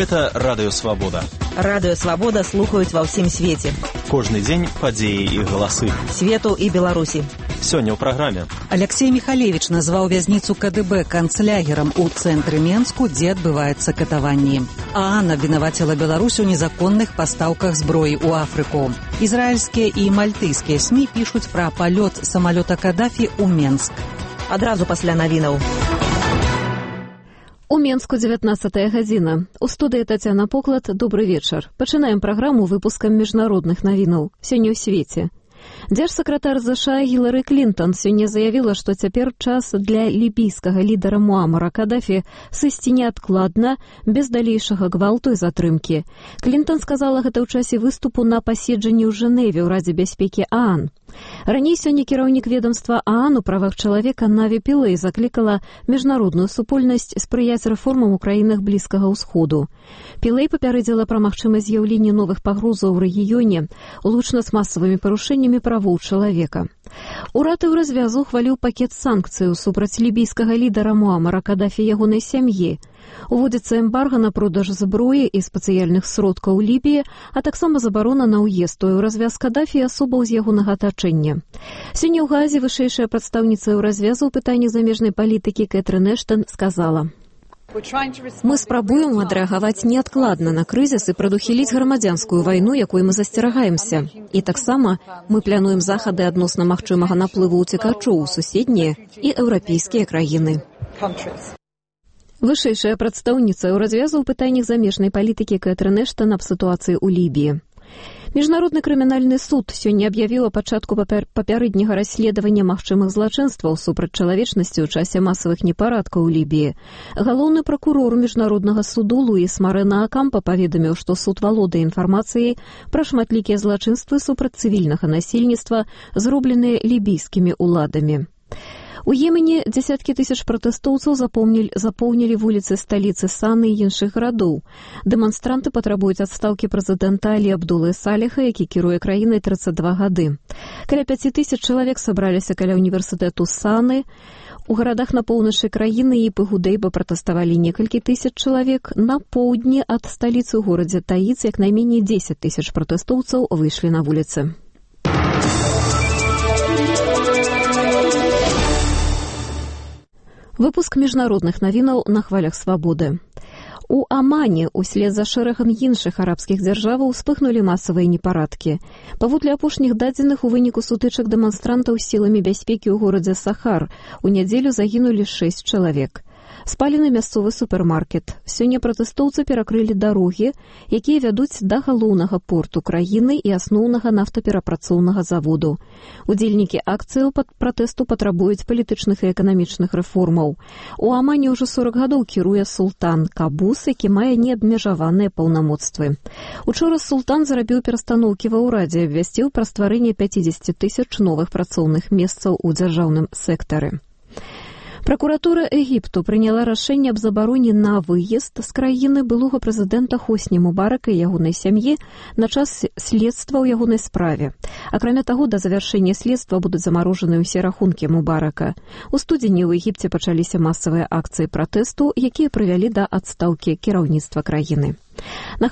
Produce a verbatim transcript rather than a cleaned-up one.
Гэта Радыё Свабода. Радыё Свабода слухаюць ва ўсім свеце. Кожны дзень падзеі і галасы. Свету і Беларусі. Сёння ў праграме. Алексей Михалевич назваў вязніцу ка дэ бэ канцлягерам у цэнтры Менску, дзе адбываецца катаванні. ААН абвінаваціла Беларусь у незаконных пастаўках зброі ў Афрыку. Ізраільскія і мальтыйскія СМІ пішуць пра палёт самалёта Кадафі ў Менск. Адразу пасля навінаў. У Менску дзевятнаццатая гадзіна. У студыі Тацяна Поклад. Добры вечар. Пачынаем праграму выпускам міжнародных навінаў. Сёння ў свеце. Дзяржсакратар ЗША Гілары Клінтон сёння заявіла, што цяпер час для лібійскага лідара Муамара Кадафі сысці неадкладна, без далейшага гвалту і затрымкі. Клінтон сказала гэта ў часе выступу на паседжанні ў Жэневе ў Радзе бяспекі ААН. Раней сёння кіраўнік ведомства ААН у правах чалавека Наві Пілэй заклікала міжнародную супольнасць спрыяць рэформам у краінах Блізкага ўсходу. Пілэй папярэдзіла пра магчымасць з'яўлення новых пагрозаў у рэгіёне, улучна з масавымі парушэннямі правоў чалавека. Урад у развязу ухваліў пакет санкцыяў супраць лібійскага лідара Муамара Кадафі і ягонай сям'і. Уводзіцца эмбарга на продаж зброі і спецыяльных сродкаў у Лібіі, а таксама забарона на ўезд у развяз Кадафі і асобаў з ягонага атачэння. Сёння ў Газе вышэйшая прадстаўніца ў развязу ў пытанні замежнай палітыкі Кэтрын Эштон сказала: «Мы спрабуем адрэагаваць неадкладна на крызіс і прадухіліць грамадзянскую вайну, якой мы засцерагаемся. І таксама мы плануем захады адносна магчымага наплыву ўцекачоў у суседнія і еўрапейскія краіны». Вышэйшая прадстаўніца ў развязу ў пытаннях замежнай палітыкі Кэтрын Эштон аб сітуацыі ў Лібіі. Міжнародны крымінальны суд сёння аб'явіў о пачатку папярэдняга расследавання магчымых злачынстваў супраць чалавечнасці ў часе масавых непарадкаў у Лібіі. Галоўны пракурор міжнароднага суду Луіс Марена Акампа паведаміў, што суд валодае інфармацыяй пра шматлікія злачынствы супраць цывільнага насельніцтва, зробленыя лібійскімі ўладамі. У Йемене дзесяткі тысяч пратэстоўцаў запоўнілі вуліцы сталіцы Саны і іншых гарадоў. Дэманстранты патрабуюць адстаўкі прэзідэнта Алі Абдулы Саліха, які кіруе краінай трыццаць два гады. Каля пяці тысяч чалавек сабраліся каля універсітэту Саны. У гарадах на поўначы краіны і Пыгудэйба пратэставалі некалькі тысяч чалавек. На поўдні ад сталіцы ў горадзе Таіц як найменей дзесяць тысяч пратэстоўцаў выйшлі на вуліцы. Выпуск міжнародных навінаў на хвалях свабоды. У Амане услед за шэрагам іншых арабскіх дзяржаваў успыхнулі масавыя непарадкі. Паводле апошніх дадзеных, у выніку сутычак дэманстрантаў з сіламі бяспекі ў горадзе Сахар у нядзелю загінулі шэсць чалавек. Спалены мясцовы супермаркет. Сёння пратэстоўцы перакрылі дарогі, якія вядуць да галоўнага порту краіны і асноўнага нафтаперапрацоўнага заводу. Удзельнікі акцыі пратэсту патрабуюць палітычных і эканамічных рэформаў. У Амане ўжо сорак гадоў кіруе султан Кабус, які мае неабмежаваныя паўнамоцтвы. Учора султан зрабіў перастаноўкі ва ўрадзе, абвясціў пра стварэнне пяцідзесяці тысяч новых працоўных месцаў у дзяржаўным сектары. Пракуратура Егіпту прыняла рашэнне аб забароне на выезд з краіны былога прэзідэнта Хосні Мубарака і ягонай сям'і на час следства ў ягонай справе. Акрамя таго, да завяршэння следства будуць замарожаны ўсе рахункі Мубарака. У студзені ў Егіпце пачаліся масавыя акцыі пратэсту, якія прывялі да адстаўкі кіраўніцтва краіны. На